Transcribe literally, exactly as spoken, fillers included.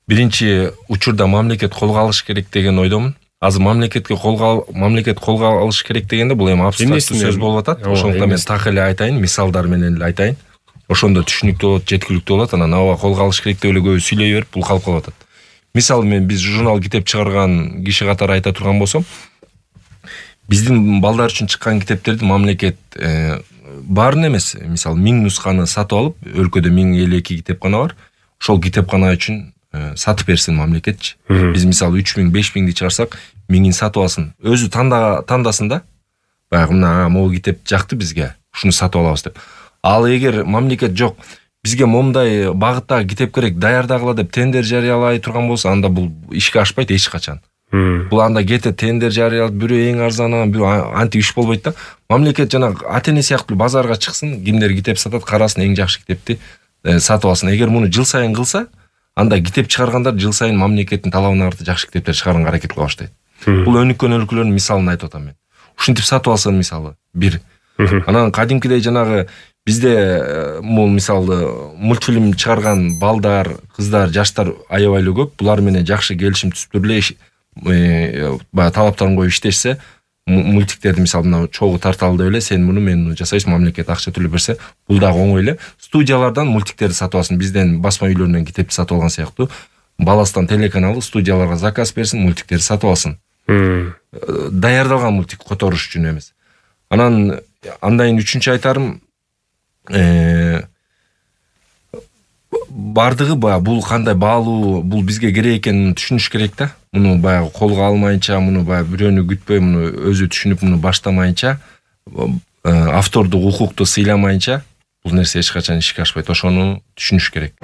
биринчи учурда мамлекет колго алыш керек деген ойдомун. Азыр мамлекетке колго мамлекет колго алыш керек дегенде бул эми абстрактуу сөз болуп атат. Ошондуктан мен так эле айтайын, мисалдар менен эле айтайын. Ошондо түшүнүктүү болот, жеткиликтүү болот. Анан ооба колго алыш керек деп эле көбү сүйлөй берип бул калып калып атат. Мисалы мен биз журнал китеп чыгарган киши катары айта турган болсом, биздин балдар үчүн чыккан китептерди мамлекет баарын эмес, мисалы миң нусканы сатып алып, өлкөдө миң элүү эки китепкана бар. Ошол китепкана үчүн сатып берсин мамлекетчи. Биз мисалы үч миң, беш миңди чыгарсак, миңин сатып алсын. Өзү танда тандасын да. Баягы мына могу китеп жакты бизге, ушуну сатып алабыз деп. Ал эгер мамлекет жок, бизге момундай багыттагы китеп керек, даярдагыла деп тендер жарыялай турган болсо, анда бул ишке ашпайт эч качан. Бул анда кетет, тендер жарыялап, бирөө эң арзанын, бирөө антип иш болбойт да. Мамлекет жана ата-эне сыяктуу базарга чыксын, кимдер китеп сатат, карасын, эң жакшы китепти сатып алсын. Эгер муну жыл сайын кылса, анда китеп чыгаргандар жыл сайын мамлекеттин талабына каршы жакшы китептер чыгарганга аракет кыла баштайт. Бул өнүккөн өлкөлөрдүн мисалын айтып атам мен. Ушинтип сатып алсын мисалы бир. Анан кадимкидей жанагы бизде мул мисалы мультфильм чыгарган балдар, кыздар, жаштар аябай эле көп. Булар менен жакшы келишим түзүп эле баягы талаптарын коюп иштешсе, мультиктерди мисалы мына чогуу тарталы деп эле, сен муну мен муну жасайсың, мамлекет акча төлөп берсе, бул дагы оңой эле. Студиялардан мультиктерди сатып алсын, бизден басма үйлөрүнөн китепти сатып алган сыяктуу. Баластан телеканалды студияларга заказ берсин, мультиктерди сатып алсын. Даярдалган мультик которуш үчүн эмес. Анан андайын үчүнчү айтарым, бардыгы баягы бул кандай баалуу, бул бизге керек экенин түшүнүш керек да. Муну баягы колго алмайынча, муну баягы бирөөнү күтпөй, муну өзү түшүнүп, муну баштамайынча, автордук укукту сыйламайынча бул нерсе эч качан ишке ашпайт. Ошону түшүнүш керек.